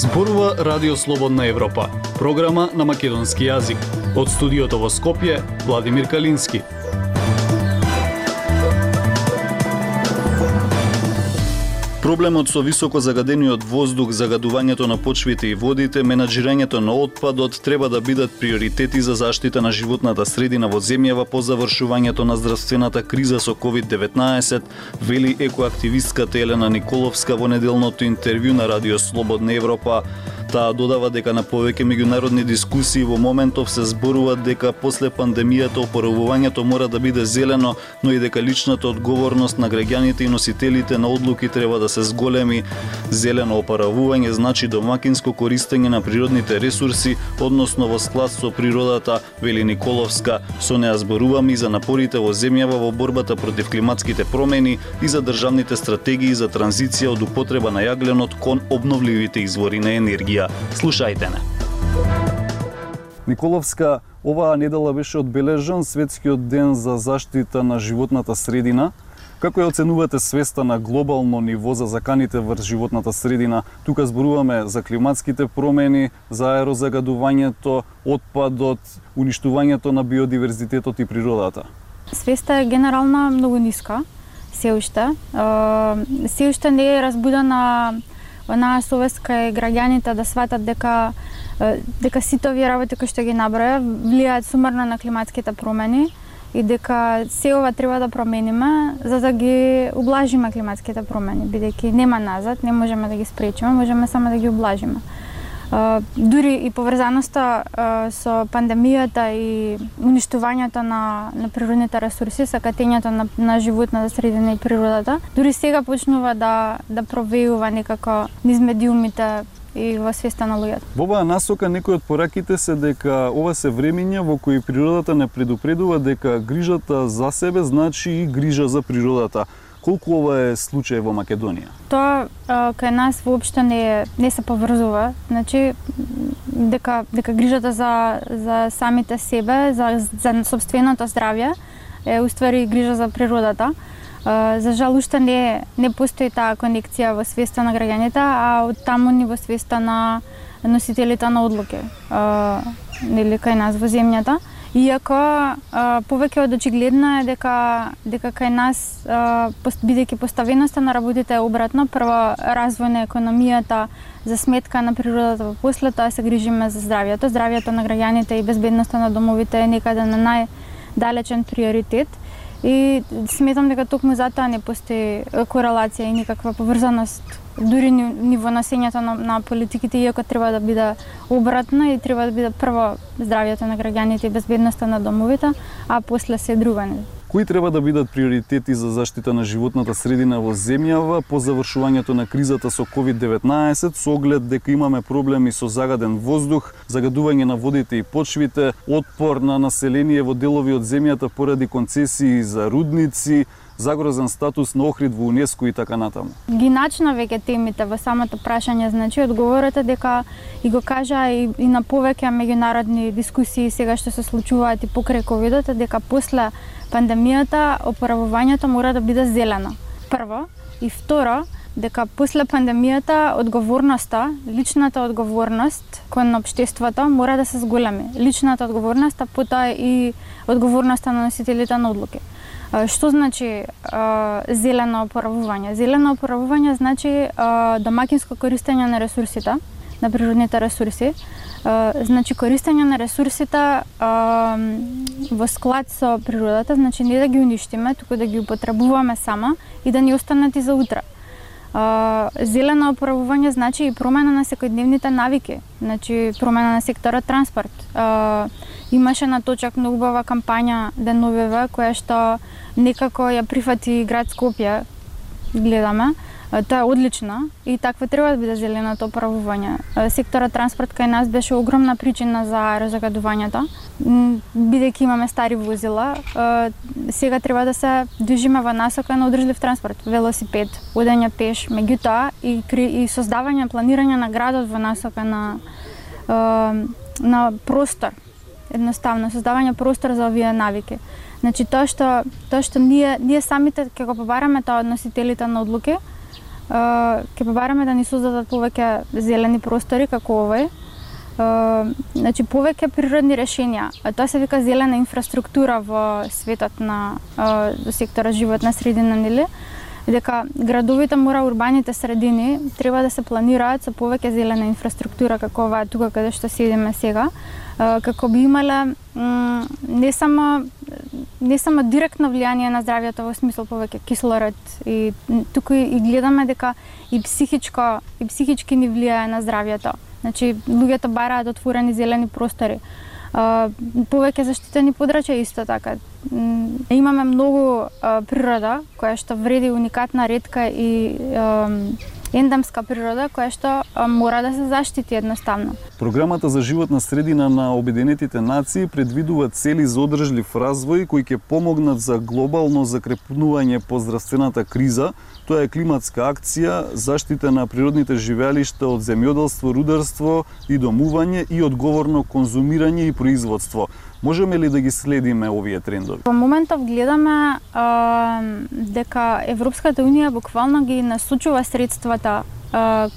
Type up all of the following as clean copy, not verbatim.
Зборува Радио Слободна Европа, програма на македонски јазик. Од студиото во Скопје, Владимир Калински. Проблемот со високо загадениот воздух, загадувањето на почвите и водите, менаџирањето на отпадот треба да бидат приоритети за заштита на животната средина во земјава по завршувањето на здравствената криза со COVID-19, вели екоактивистката Елена Николовска во неделното интервју на Радио Слободна Европа. Таа додава дека на повеќе меѓународни дискусии во моментов се зборува дека после пандемијата опоравувањето мора да биде зелено, но и дека личната одговорност на граѓаните и носителите на одлуки треба да се зголеми. Зелено опоравување значи домакинско користење на природните ресурси, односно во склад со природата, вели Николовска. Со неа зборуваме и за напорите во земјава во борбата против климатските промени и за државните стратегии за транзиција од употреба на јагленот кон обновливите извори на енергија. Слушајте не. Николовска, оваа недела беше одбележан Светскиот ден за заштита на животната средина. Како ја оценувате свеста на глобално ниво за заканите врз животната средина? Тука зборуваме за климатските промени, за аерозагадувањето, отпадот, уништувањето на биодиверзитетот и природата. Свеста е генерална многу ниска, се уште не е разбудена онаа совест кај граѓаните да сватат дека сите овие работи кои што ги наброја влијаат сумарно на климатските промени и дека се ова треба да промениме за да ги ублажиме климатските промени, бидејќи нема назад, не можеме да ги спречиме, можеме само да ги ублажиме. Дури и поврзаноста со пандемијата и уништувањето на природните ресурси, сакатењето на животната средина и природата, дури сега почнува да провејува некако низ медиумите и во свеста на луѓето. Во оваа насока некои од пораките се дека ова се времиња во кои природата не предупредува дека грижата за себе значи и грижа за природата. Колку ова е случај во Македонија? Тоа кај нас воопшто не се поврзува, значи дека грижата за самите себе, за собственото здравје е уствари грижа за природата. За жал уште не постои таа конекција во свеста на граѓаните, а од таму ни во свеста на носителите на одлуки, нели кај нас во земјата. Иако повеќе од очигледно е дека кај нас, бидејќи поставеноста на работите е обратно, прво развој на економијата за сметка на природата, после тоа се грижиме за здравјето. Здравјето на граѓаните и безбедноста на домовите е некаде на најдалечен приоритет. И сметам дека токму затоа не постои корелација и никаква поврзаност, дури ниво насењето на политиките, иако треба да биде обратно и треба да биде прво здравјето на граѓаните и безбедноста на домовите, а после се друго. Кои треба да бидат приоритети за заштита на животната средина во земјава по завршувањето на кризата со COVID-19, со оглед дека имаме проблеми со загаден воздух, загадување на водите и почвите, отпор на население во делови од земјата поради концесии за рудници, загрозен статус на Охрид во УНЕСКО и така натаму? Ги начина веќе темите во самото прашање, значи одговорот е дека и го кажа и на повеќе меѓународни дискусии сега што се случуваат и покрај ковидот, е дека после пандемијата опоравувањето мора да биде зелено. Прво, и второ, дека после пандемијата одговорноста, личната одговорност кон општеството мора да се зголеми. Личната одговорност, а потоа и одговорноста на носителите на одлуки. Што значи зелено опоравување? Зелено опоравување значи домакинско користење на ресурсите, на природните ресурси. Значи користење на ресурсите во склад со природата, значи не да ги уништиме, туку да ги употребуваме само и да ни останат и за утре. Зелено опоравување значи и промена на секојдневните навики, значи промена на секторот транспорт. Имаше на точак многу убава кампања деновиве која што некако ја прифати град Скопје, гледаме. Тоа е одлично и такво треба да биде зеленото опоравување. Секторот транспорт кај нас беше огромна причина за аерозагадувањето. Бидејќи имаме стари возила, сега треба да се движиме во насока на одржлив транспорт, велосипед, одење пеш, меѓутоа и создавање, планирање на градот во насока на простор. Едноставно создавање простор за овие навики. Значи тоа што ние самите ќе го побараме тоа од носителите на одлуки, ќе побараме да ни создадат повеќе зелени простори како овој. Значи повеќе природни решенија. Тоа се вика зелена инфраструктура во светот на сектора животна средина, нели? Дека градовите урбаните средини треба да се планираат со повеќе зелена инфраструктура како оваа тука каде што седиме сега, како би имале не само директно влијание на здравјето во смисла повеќе кислород и тука и гледаме дека и психички ни влијае на здравјето. Значи луѓето бараат отворени зелени простори. Повеќе заштитени подрачја исто така. Имаме многу природа која што вреди, уникатна, ретка и ендемска природа која што мора да се заштити едноставно. Програмата за животна средина на Обединетите нации предвидува цели за одржлив развој кои ќе помогнат за глобално закрепнување по здравствената криза. Тоа е климатска акција, заштита на природните живеалишта од земјоделство, рударство и домување и одговорно конзумирање и производство. Можеме ли да ги следиме овие трендови? Во моментов гледаме дека Европската унија буквално ги насочува средствата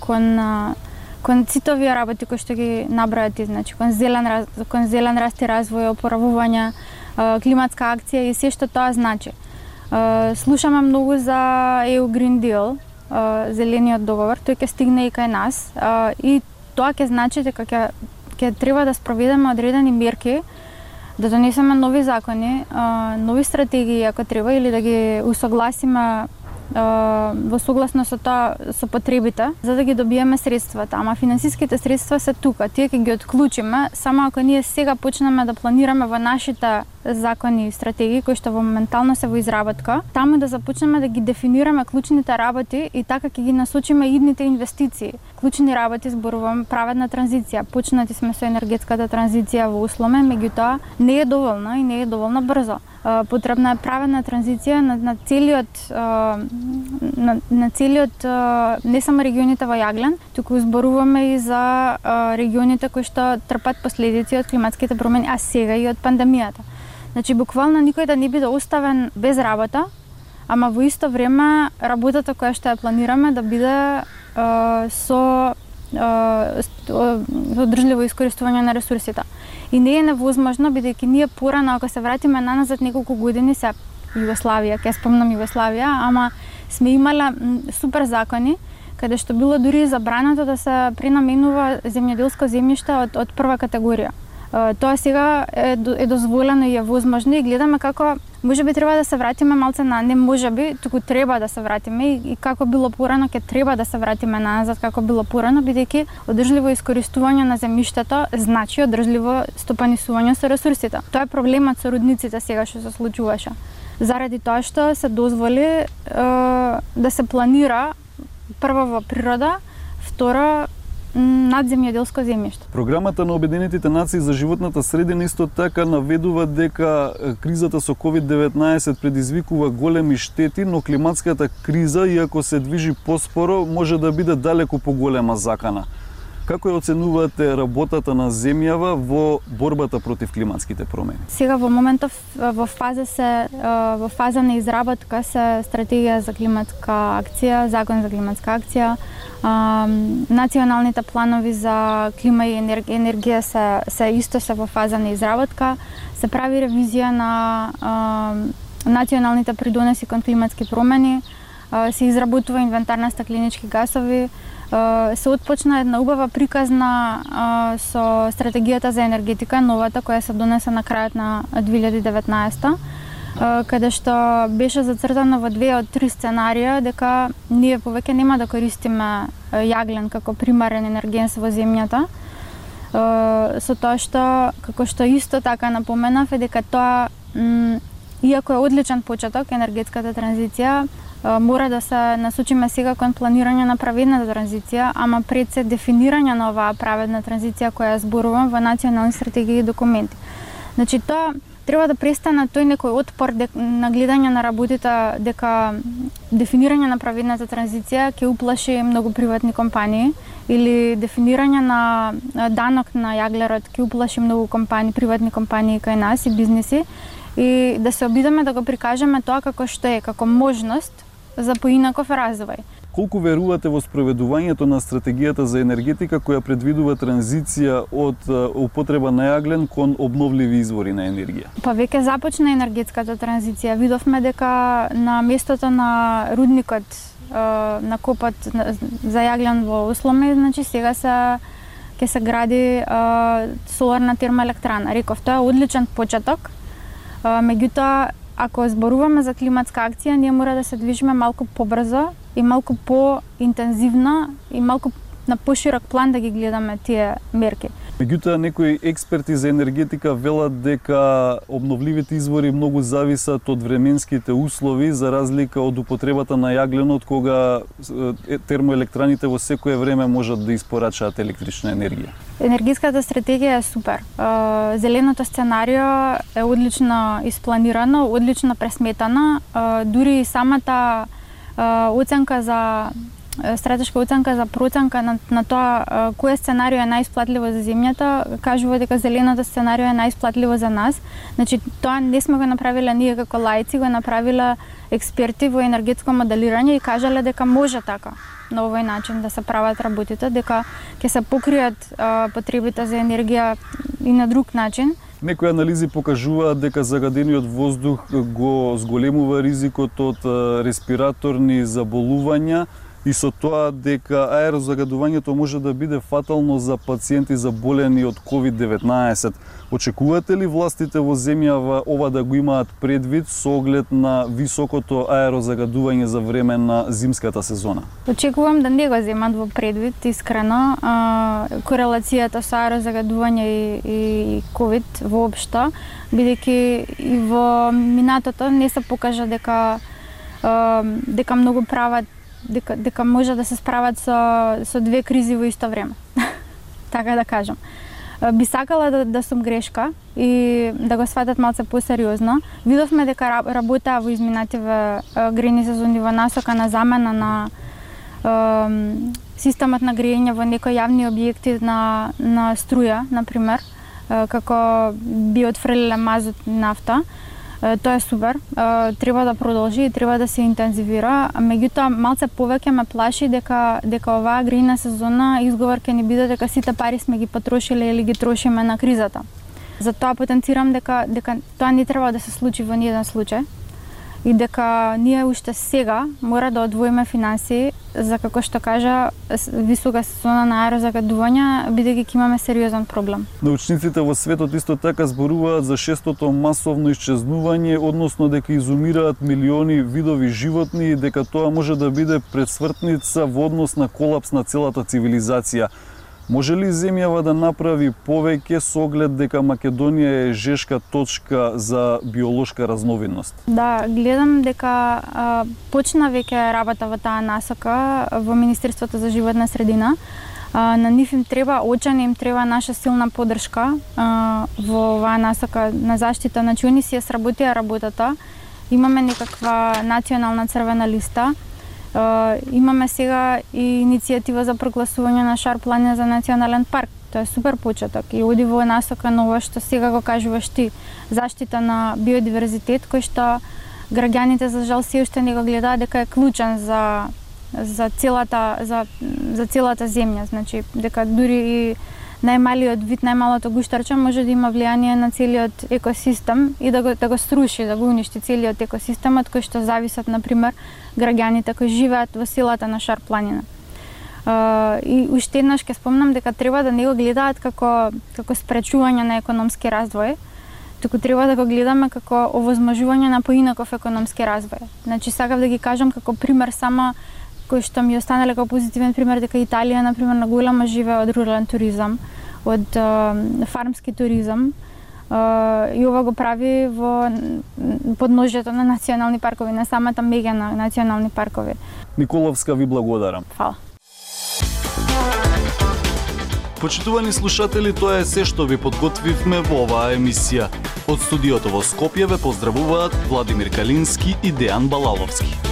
кон сите овие работи кои што ги набројати, значи кон зелен раст и развој, опоравување, климатска акција и се што тоа значи. Слушаме многу за EU Green Deal, зелениот договор, тој ќе стигне и кај нас и тоа ќе значи дека ќе треба да спроведеме одредени мерки, да донесеме нови закони, нови стратегии ако треба или да ги усогласиме во согласно со тоа со потребите, за да ги добиеме средствата. Ама финансиските средства се тука, тие ќе ги отклучиме само ако ние сега почнеме да планираме во нашите закони и стратегии кои што моментално се во изработка, таму да започнеме да ги дефинираме клучните работи и така ќе ги насочиме идните инвестиции. Клучни работи зборувам праведна транзиција. Почнати сме со енергетската транзиција во усломе, меѓутоа не е доволно и не е доволно брзо. Потребна е праведна транзиција на целиот не само регионите во Јаглен, туку зборуваме и за регионите кои што трпат последици од климатските промени, а сега и од пандемијата. Значи буквално никој да не биде оставен без работа, ама во исто време работата која што ја планираме да биде со одржливо искористување на ресурсите. И не е невозможно, бидејќи ние порано, ако се вратиме наназад неколку години, се Југославија, ќе спомнам Југославија, ама сме имале супер закони, каде што било дури забрането да се пренаменува земјоделско земјиште од прва категорија. Тоа сега е дозволено и е возможно и гледаме како можеби треба да се вратиме малце на не можеби, туку треба да се вратиме и како било порано ќе треба да се вратиме назад како било порано, бидејќи одржливо искористување на земјиштето значи одржливо стопанисување со ресурсите. Тоа е проблемот со рудниците сега што се случуваше. Заради тоа што се дозволи да се планира прво во природа, второ над земјоделско земјиште. Програмата на Обединетите нации за животната средина исто така наведува дека кризата со COVID-19 предизвикува големи штети, но климатската криза, иако се движи поспоро, може да биде далеку поголема закана. Како ја оценувате работата на земјава во борбата против климатските промени? Сега во моментов во фаза на изработка се стратегија за климатска акција, закон за климатска акција, националните планови за клима и енергија се во фаза на изработка, се прави ревизија на националните придонеси кон климатски промени, се изработува инвентар на стакленички гасови, се отпочна една убава приказна со стратегијата за енергетика, новата која се донесе на крајот на 2019, каде што беше зацртано во 2 од 3 сценарија дека ние повеќе нема да користиме јаглен како примарен енергенс во земјата, со тоа што, како што исто така напоменав, е дека тоа, иако е одличен почеток, енергетската транзиција, мора да се насочиме сега кон планирање на праведната транзиција, ама пред се дефинирање на оваа праведна транзиција која зборувам во национални стратегии и документи. Значи тоа треба да престане тој некој отпор на гледање на работите дека дефинирање на праведната транзиција ќе уплаши многу приватни компании или дефинирање на данок на јаглерот ќе уплаши многу компании, приватни компании кај нас и бизниси, и да се обидеме да го прикажеме тоа како што е, како можност за поинаков развој. Колку верувате во спроведувањето на стратегијата за енергетика која предвидува транзиција од употреба на јаглен кон обновливи извори на енергија? Па веќе започна енергетската транзиција. Видовме дека на местото на рудникот на копот за јаглен во Усломе, значи сега ќе се гради соларна термоелектрана. Реков, тоа е одличен почеток. Меѓутоа, ако зборуваме за климатска акција, ние мора да се движиме малку побрзо и малку поинтензивно и малку на поширок план да ги гледаме тие мерки. Меѓутоа, некои експерти за енергетика велат дека обновливите извори многу зависат од временските услови, за разлика од употребата на јагленот, кога термоелектраните во секое време можат да испорачаат електрична енергија. Енергетската стратегија е супер. Зеленото сценарио е одлично испланирано, одлично пресметано. Дури и самата оценка за стратешка оценка за проценка на тоа кое сценарио е најисплатливо за земјата, кажува дека зеленото сценарио е најисплатливо за нас. Значи, тоа не сме го направиле ние како лаици, го направиле експерти во енергетско моделирање и кажале дека може така на овој начин да се прават работите, дека ќе се покријат потребите за енергија и на друг начин. Некои анализи покажуваат дека загадениот воздух го зголемува ризикот од респираторни заболувања и со тоа дека аерозагадувањето може да биде фатално за пациенти заболени од COVID-19. Очекувате ли властите во земјава ова да го имаат предвид со оглед на високото аерозагадување за време на зимската сезона? Очекувам да не го земат во предвид, искрено. Корелацијата со аерозагадување и COVID воопшто, бидејќи и во минатото не се покажа дека многу прават дека може да се справат со две кризи во исто време. Така да кажам. Би сакала да сум грешка и да го сватат малце посериозно. Видовме дека работаа во изминативе грејни сезони во насока на замена на системот на грејење во некои јавни објекти на струја, например, како би отфрлиле мазот и нафта. Тоа е супер, треба да продолжи и треба да се интензивира, меѓутоа малце повеќе ме плаши дека оваа грејна сезона изговор ќе ни биде дека сите пари сме ги потрошиле или ги трошиме на кризата. Затоа потенцирам дека тоа не треба да се случи во ниеден случај и дека ние уште сега мора да одвоиме финансии за, како што кажа, висока сезона на аерозагадување, бидејќи ќе имаме сериозен проблем. Научниците во светот исто така зборуваат за шестото масовно исчезнување, односно дека изумираат милиони видови животни и дека тоа може да биде предсмртница во однос на колапс на целата цивилизација. Може ли земјава да направи повеќе со оглед дека Македонија е жешка точка за биолошка разновидност? Да, гледам дека почна веќе работа во таа насока во Министерството за животна средина. На нив им треба, очено им треба наша силна поддршка во оваа насока на заштита. Значи, они си ја сработија работата. Имаме некаква национална црвена листа. Имаме сега и иницијатива за прогласување на Шар планина за национален парк. Тоа е супер почеток и оди во насока на ова што сега го кажуваш ти, заштита на биодиверзитет, кој што граѓаните за жал се уште не го гледаат дека е клучен за целата земја, значи дека дури и најмалиот вид, најмалото гуштарче може да има влијание на целиот екосистем и да го струши, да го уништи целиот екосистем од кој што зависат, например, граѓаните кои живеат во селата на Шар планина. И уште еднаш ќе спомнам дека треба да не го гледаат како спречување на економски развој, туку треба да го гледаме како овозможување на поинаков економски развој. Значи, сакав да ги кажам како пример само кој што ми останале како позитивен пример, дека Италија, например, на голема живее од рурален туризам, од фармски туризам, и ова го прави во подножјето на национални паркови, на самата меѓа на национални паркови. Николовска, ви благодарам. Фала. Почитувани слушатели, тоа е се што ви подготвивме во оваа емисија. Од студиото во Скопје ве поздравуваат Владимир Калински и Дејан Балаловски.